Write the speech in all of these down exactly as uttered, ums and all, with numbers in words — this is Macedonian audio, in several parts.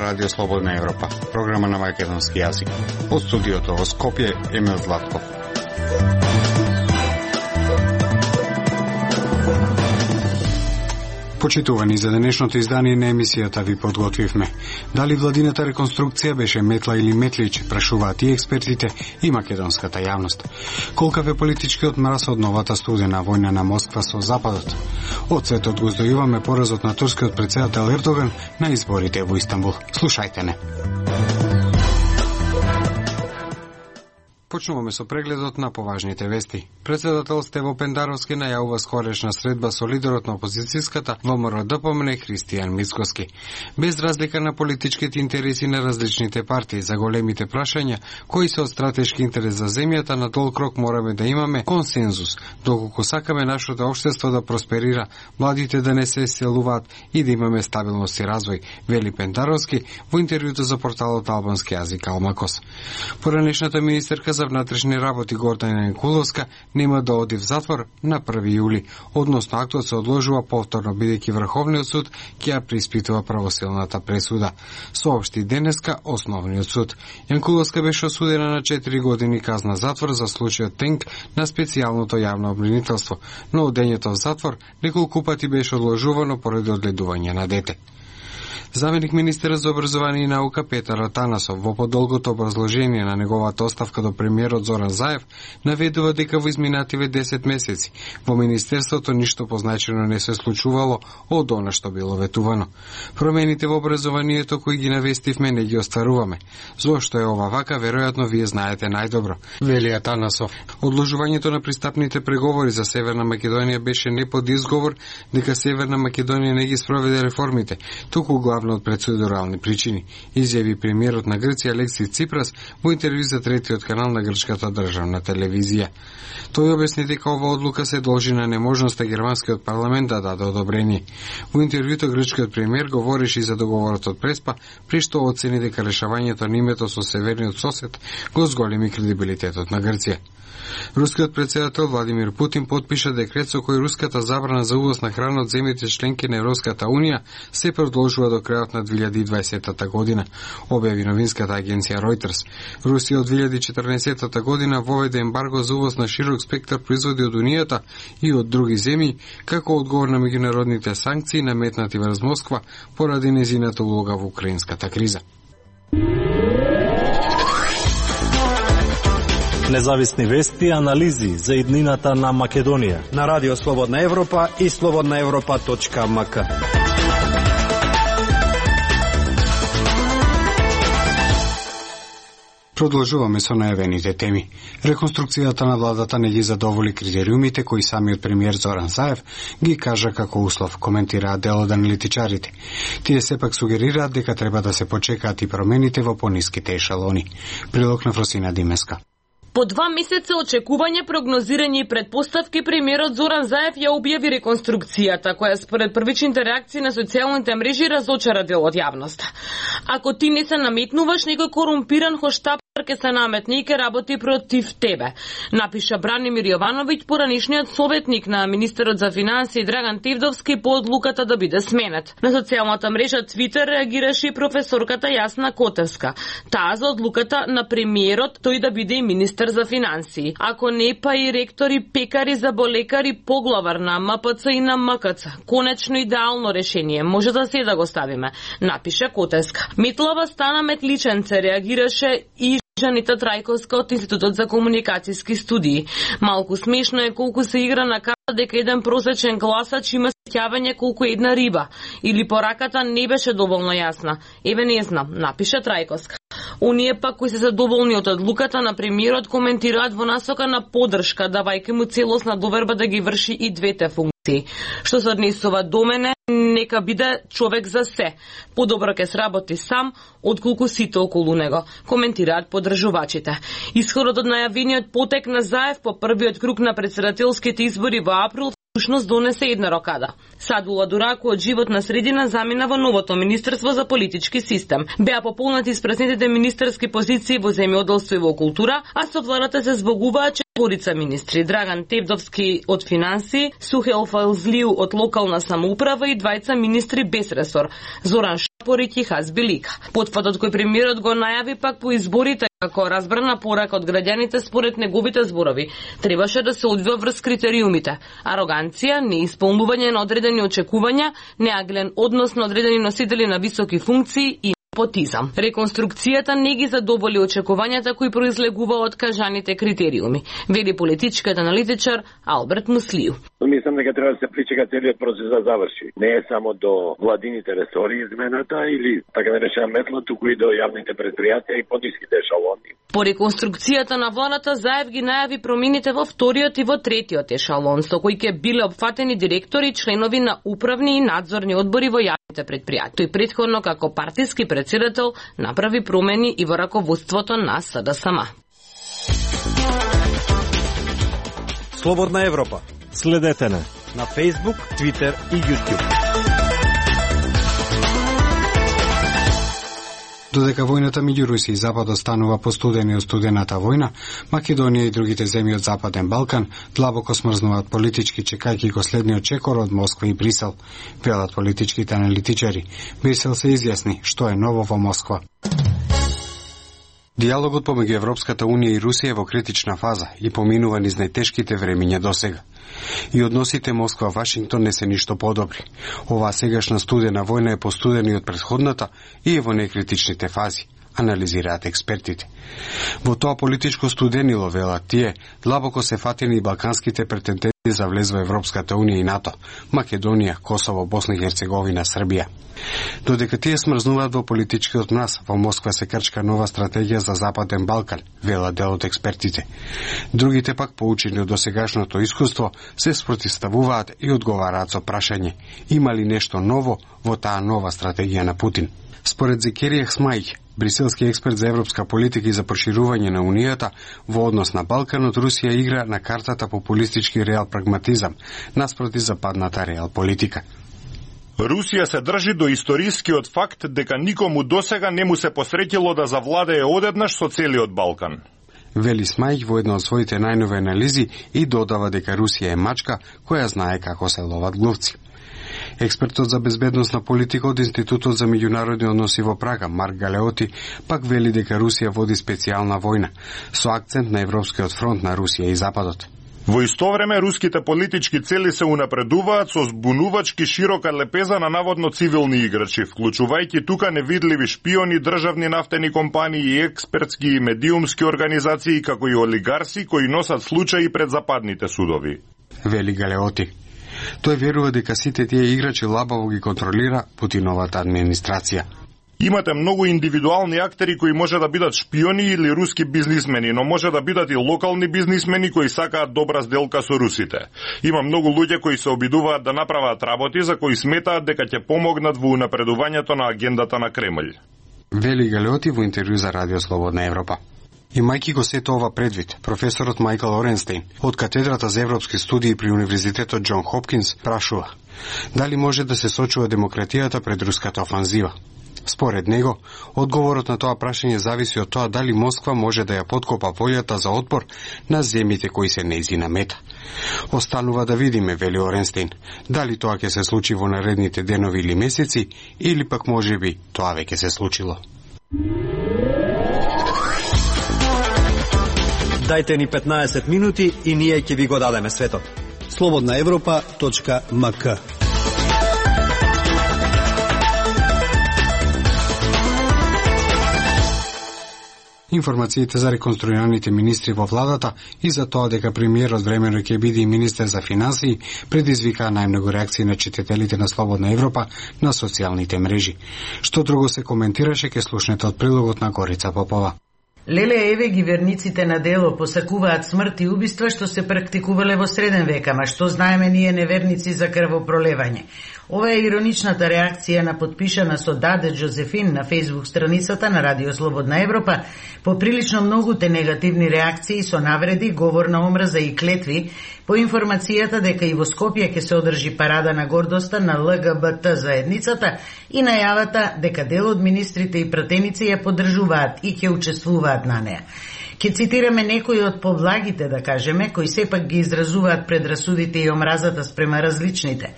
Радио Слободна Европа, програма на македонски јазик. Од студиото во Скопје, Емил Златков. Почитувани, за денешното издание на емисијата ви подготвивме. Дали владината реконструкција беше метла или метлич, прашуваат и експертите и македонската јавност. Колкав е политичкиот мраз од новата студена војна на Москва со Западот? Од светот го здојуваме поразот на турскиот претседател Ердоган на изборите во Истанбул. Слушајте не. Почнуваме со прегледот на поважните вести. Председател Стево Пендаровски најавува скорешна средба со лидерот на опозицијската ВМРО-ДПМН Христијан Мицкоски. Без разлика на политичките интереси на различните партии, за големите прашања кои се од стратешки интерес за земјата, на долг рок мораме да имаме консензус, доколку сакаме нашето општество да просперира, младите да не се иселуваат и да имаме стабилност и развој, вели Пендаровски во интервјуто за порталот албански јазик Алмакос. Поранешната министерка за внатрешни работи Гордана Николовска нема да оди в затвор на први јули, односно актот се одложува повторно бидејќи Врховниот суд ќе ја преиспитува правосилната пресуда, соопшти денеска Основниот суд. Јанкуловска беше осудена на четири години казна затвор за случајот Тенк на специјалното јавно обвинителство, но одењето в затвор неколку пати беше одложувано поради одгледување на дете. Заменик министерот за образование и наука Петар Атанасов во подолгото образложение на неговата оставка до премиерот Зоран Заев наведува дека во изминативе десет месеци во министерството ништо позначено не се случувало од она што било ветувано. Промените во образованието кои ги навестивме не ги остваруваме. Зошто е ова вака, веројатно вие знаете најдобро, вели Атанасов. Одложувањето на пристапните преговори за Северна Македонија беше не под изговор дека Северна Македонија не ги спроведе реформите, туку главно од процедурални причини, изјави премиерот на Грција Алексис Ципрас во интервју за третиот канал на грчката државна телевизија. Тој објасни дека ова одлука се должи на неможноста германскиот парламент да даде одобрение. Во интервјуто грчкиот премиер говореше и за договорот од Преспа, при што оцени дека решавањето на името со северниот сосед го зголеми кредибилитетот на Грција. Рускиот председател Владимир Путин потпиша декрет со кој руската забрана за увоз на храна од земјите членки на Европската унија се продолжува до крајот на две илјади и дваесета година, објави новинската агенција Reuters. Русија од две илјади и четрнаесета година воведе ембарго за увоз на широк спектар производи од Унијата и од други земји, како одговор на меѓународните санкции наметнати врз Москва поради нејзината улога во украинската криза. Независни вести и анализи за иднината на Македонија на Радио Слободна Европа и слободна европа точка ем ка. Продолжуваме со најавените теми. Реконструкцијата на владата не ги задоволи критериумите кои самиот премиер Зоран Заев ги кажа како услов, коментираат дел од аналитичарите. Тие сепак сугерираат дека треба да се почекаат и промените во пониските ешалони. Прилог на Фросина Димеска. По два месеца очекување, прогнозирање и предпоставки, премиерот Зоран Заев ја објави реконструкцијата, која според првичните реакции на социјалните мрежи разочара дел од јавноста. Ако ти не се наметнуваш, некој корумпиран хоштап ке се наметне и ке работи против тебе, напиша Бранимир Јовановиќ, поранишниот советник на министерот за финансии Драган Тевдовски по одлуката да биде сменет. На социјалната мрежа Твитер реагираше и професорката Јасна Котевска. Таа за одлуката на премиерот тој да биде и министер за финансии. Ако не, па и ректори, пекари, заболекари, поглавар на ем пе це и на ем ка це. Конечно идеално решение, може да се да го ставиме, напише Котевска. Метлава стана метличенце, реагираше и Жанита Трајковска од Институтот за комуникацијски студии. Малку смешно е колку се игра на карта дека еден просечен гласач има сеќавање колку една риба, или пораката не беше доволно јасна. Еве не знам, напише Трајковска. Оние пак кои се задоволни од одлуката на премиерот коментираат во насока на поддршка, давајќи му целосна доверба да ги врши и двете функции. Што се однесува до мене, нека биде човек за се. Подобро ќе сработи сам, отколку сите околу него, коментираат поддржувачите. Исходот од најавениот потек на Заев по првиот круг на претседателските избори во април Душност донесе една рокада. Садула Дураку од животна средина замина во новото Министерство за политички систем. Беа пополнати испразнетите министерски позиции во земјоделство и во култура, а со владата се збогуваа четворица министри: Драган Тевдовски од финанси, Сухел Фалзлиу од локална самоуправа и двајца министри без ресор: Зоран Шапорик и Хазби Лика. Потфатот кој премиерот го најави пак по изборите како разбрана порака од граѓаните според неговите зборови требаше да се одвива врз критериумите: ароганција, неисполнување на одредени очекувања, неаглен однос на одредени носители на високи функции и непотизам. Реконструкцијата не ги задоволи очекувањата кои произлегува од кажаните критериуми, вели политичкиот аналитичар Алберт Муслију. Мислам дека треба да се причека целиот процес да заврши. Не е само до владините ресори измената или така наречена метла, туку и до јавните предпријатија и пониските ешалони. По реконструкцијата на владата Заев ги најави промените во вториот и во третиот ешалон, со кои ќе биле опфатени директори и членови на управни и надзорни одбори во јавните предпријатија. Тој претходно како партиски председател направи промени и во раководството на С Д С М. Слободна Европа. Следете на на Facebook, Twitter и YouTube. Додека војната меѓу Русија и Западот станува постудена и студената војна, Македонија и другите земји од Западен Балкан длабоко смрзнуваат политички, чекајќи го следниот чекор од Москва и Брисел, велат политичките аналитичари. Брисел се изјасни што е ново во Москва. Диалогот помеѓу Европската Унија и Русија е во критична фаза и поминува низ најтешките времиња досега. И односите Москва-Вашингтон не се ништо подобри. Оваа сегашна студена војна е постудена и од претходната и е во некритичните фази, анализираат експертите. Во тоа политичко студенило, велат тие, длабоко се фатени и балканските претенденти за влез во Европската Унија и НАТО: Македонија, Косово, Босна и Херцеговина, Србија. Додека тие смрзнуваат во политичкиот мраз, во Москва се крчка нова стратегија за Западен Балкан, велат дел од експертите. Другите пак, поучени од досегашното искуство, се спротивставуваат и одговараат со прашање: има ли нешто ново во таа нова стратегија на Путин? Според Зекерија Хсмајќ, бриселски експерт за европска политика и за проширување на Унијата, во однос на Балканот Русија игра на картата популистички реал прагматизам, наспроти западната реал политика. Русија се држи до историскиот факт дека никому досега не му се посреќило да завладее одеднаш со целиот Балкан. Вели Смајќ во една од своите најнови анализи и додава дека Русија е мачка која знае како се ловат глувци. Експертот за безбедносна политика од Институтот за меѓународни односи во Прага, Марк Галеоти, пак вели дека Русија води специјална војна, со акцент на Европскиот фронт на Русија и Западот. Во исто време, руските политички цели се унапредуваат со збунувачки широка лепеза на наводно цивилни играчи, вклучувајќи тука невидливи шпиони, државни нафтени компании и експертски и медиумски организации, како и олигарси кои носат случаи пред западните судови. Вели Галеоти. Тој верува дека сите тие играчи лабаво ги контролира Путиновата администрација. Имате многу индивидуални актери кои може да бидат шпиони или руски бизнисмени, но може да бидат и локални бизнисмени кои сакаат добра сделка со русите. Има многу луѓе кои се обидуваат да направат работи за кои сметаат дека ќе помогнат во унапредувањето на агендата на Кремљ. Вели Галеоти во интервју за Радио Слободна Европа. Имајќи го сето ова предвид, професорот Мајкл Оренстейн од катедрата за европски студии при Универзитетот Џон Хопкинс прашува: дали може да се сочува демократијата пред руската офанзива? Според него, одговорот на тоа прашање зависи од тоа дали Москва може да ја подкопа волјата за отпор на земјите кои се нејзина мета. Останува да видиме, вели Оренстейн, дали тоа ќе се случи во наредните денови или месеци, или пак можеби тоа веќе се случило. Дајте ни петнаесет минути и ние ќе ви го дадеме светот. слободна европа точка ем ка. Информациите за реконструираните министри во владата и за тоа дека премиерот времено ќе биде и министер за финансии предизвикаа најмногу реакции на читателите на Слободна Европа на социјалните мрежи. Што друго се коментираше, ке слушнете од прилогот на Горица Попова. Леле еве ги верниците на дело посакуваат смрт и убиства што се практикувале во среден век, ама што знаеме ние неверници за крвопролевање. Ова е ироничната реакција на подпишана со Даде Джозефин на Facebook страницата на Радио Слободна Европа по прилично многуте негативни реакции со навреди, говор на омраза и клетви по информацијата дека и во Скопје ќе се одржи парада на гордоста на Л Г Б Т заедницата и најавата дека дел од министрите и пратеници ја поддржуваат и ќе учествуваат на неа. Ке цитираме некои од повлагите, да кажеме, кои сепак ги изразуваат предрасудите и омразата спрема различните.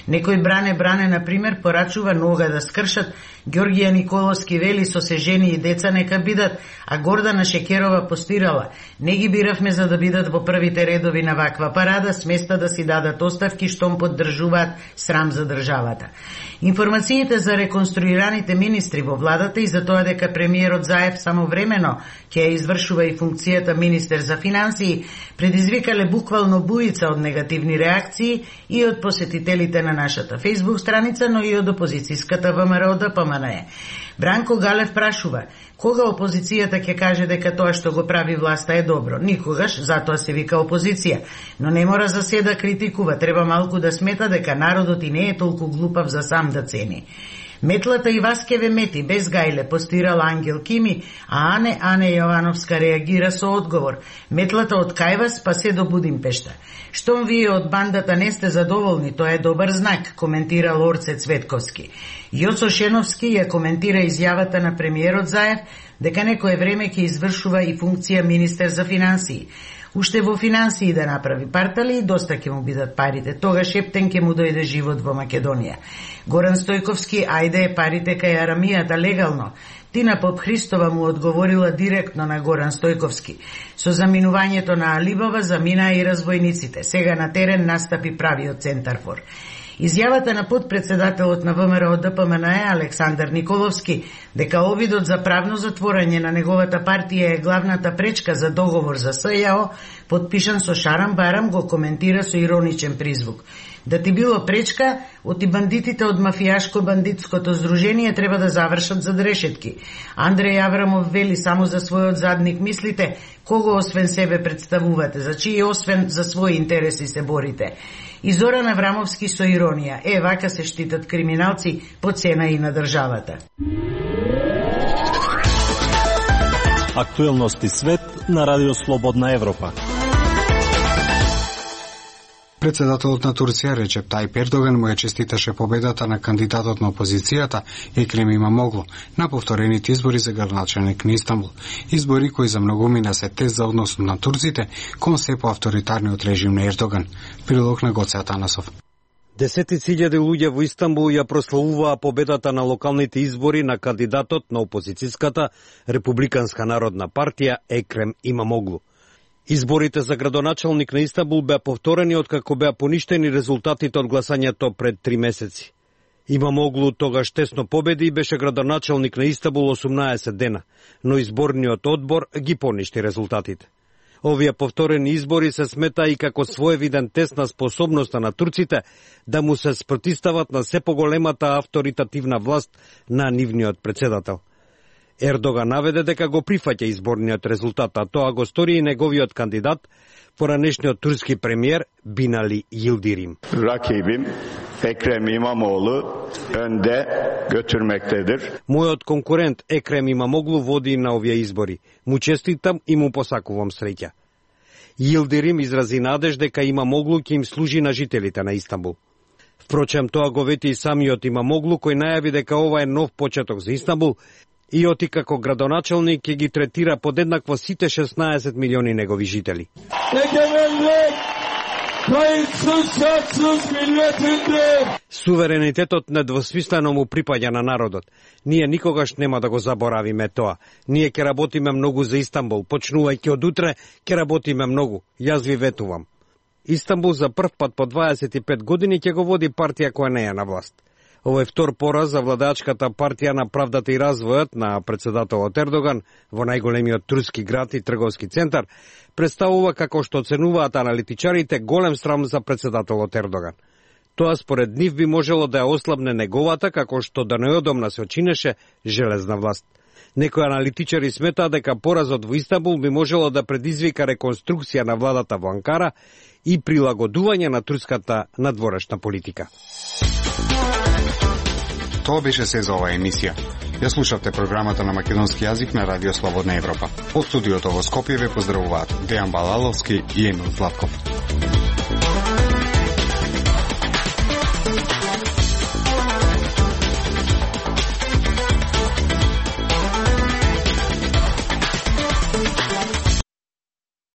Некој Бране Бране, например, порачува нога да скршат, Ѓоргија Николовски вели со се жени и деца нека бидат, а Гордана Шекерова постирала: не ги биравме за да бидат во првите редови на ваква парада, сместа да си дадат оставки штом поддржуваат срам за државата. Информациите за реконструираните министри во владата и за тоа дека премиерот Заев самовремено ќе ја извршува и функцијата министер за финансии предизвикале буквално буица од негативни реакции и од посетителите на нашата Facebook страница, но и од опозицијската ВМРО Д П М Н Е. Бранко Галев прашува: кога опозицијата ќе каже дека тоа што го прави власта е добро? Никогаш, затоа се вика опозиција. Но не мора за се да критикува, треба малку да смета дека народот и не е толку глупав за сам да цени. Метлата и Васкеве мети, без гајле, постирала Ангел Кими, а Ане Ане Јовановска реагира со одговор: метлата од кај вас, па се до Будимпешта. Штом вие од бандата не сте задоволни, тоа е добар знак, коментира Лорце Цветковски. Јосо Шеновски ја коментира изјавата на премиерот Заев дека некое време ќе извршува и функција министер за финансии. Уште во финансии да направи партали и доста ќе му бидат парите. Тогаш ептен ќе му дојде живот во Македонија. Горан Стојковски: ајде парите кај арамијата легално. Тина Попхристова му одговорила директно на Горан Стојковски: со заминувањето на Алибава заминаа и разбойниците. Сега на терен настапи правиот центарфор. Изјавата на подпредседателот на ВМРО Д П М Н Е Александар Николовски дека обидот за правно затворање на неговата партија е главната пречка за договор за С Ј О, подпишан со Шарам Барам, го коментира со ироничен призвук. Да ти било пречка, оти бандитите од мафијашко-бандитското здружение треба да завршат зад решетки. Андреј Аврамов вели: само за својот задник мислите, кого освен себе представувате, за чии освен за своји интереси се борите. И Зоран Аврамовски со иронија: е, вака се штитат криминалци по цена и на државата. Актуелности свет на Радио Слободна Европа. Председателот на Турција Речеп Тајип Ердоган му ја честиташе победата на кандидатот на опозицијата Екрем Имамоглу на повторените избори за градоначалник на Истанбул. Избори кои за многумина се тест за односот на турците кон се по авторитарниот режим на Ердоган. Прилог на Гоце Атанасов. Десетици илјади луѓе во Истанбул ја прославуваа победата на локалните избори на кандидатот на опозицијската Републиканска народна партија Екрем Имамоглу. Изборите за градоначалник на Истанбул беа повторени откако беа поништени резултатите од гласањето пред три месеци. Имамоглу тогаш тесно победи и беше градоначалник на Истанбул осумнаесет дена, но изборниот одбор ги поништи резултатите. Овие повторени избори се смета и како своевиден тест на способноста на турците да му се спротистават на се поголемата авторитативна власт на нивниот председател. Ердоган наведе дека го прифаќа изборниот резултат, а тоа го стори и неговиот кандидат, поранешниот турски премиер Бинали Йилдирим. Rakibim Ekrem İmamoğlu önde götürmektedir. Мојот конкурент Екрем Имамоглу води на овие избори. Му честитам и му посакувам среќа. Йилдирим изрази надеж дека Имамоглу ќе им служи на жителите на Истанбул. Впрочем, тоа го вети и самиот Имамоглу, кој најави дека ова е нов почеток за Истанбул и оти како градоначалник ќе ги третира подеднакво сите шеснаесет милиони негови жители. Суверенитетот недвосмислено му припаѓа на народот. Ние никогаш нема да го заборавиме тоа. Ние ќе работиме многу за Истанбул. Почнувајќи од утре, ќе работиме многу. Јас ви ветувам. Истанбул за прв пат по дваесет и пет години ќе го води партија која не е на власт. Овој втор пораз за владачката партија на правдата и развојот на председателот Ердоган во најголемиот турски град и трговски центар представува, како што оценуваат аналитичарите, голем срам за председателот Ердоган. Тоа според нив би можело да ја ослабне неговата, како што да неодомна се очинеше, железна власт. Некои аналитичари сметаат дека поразот во Истанбул би можело да предизвика реконструкција на владата во Анкара и прилагодување на турската надворешна политика. Тоа беше се за оваа емисија. Ја слушавте програмата на македонски јазик на Радио Слободна Европа. Од студиото во Скопје ве поздравуваат Дејан Балаловски и Емил Златков.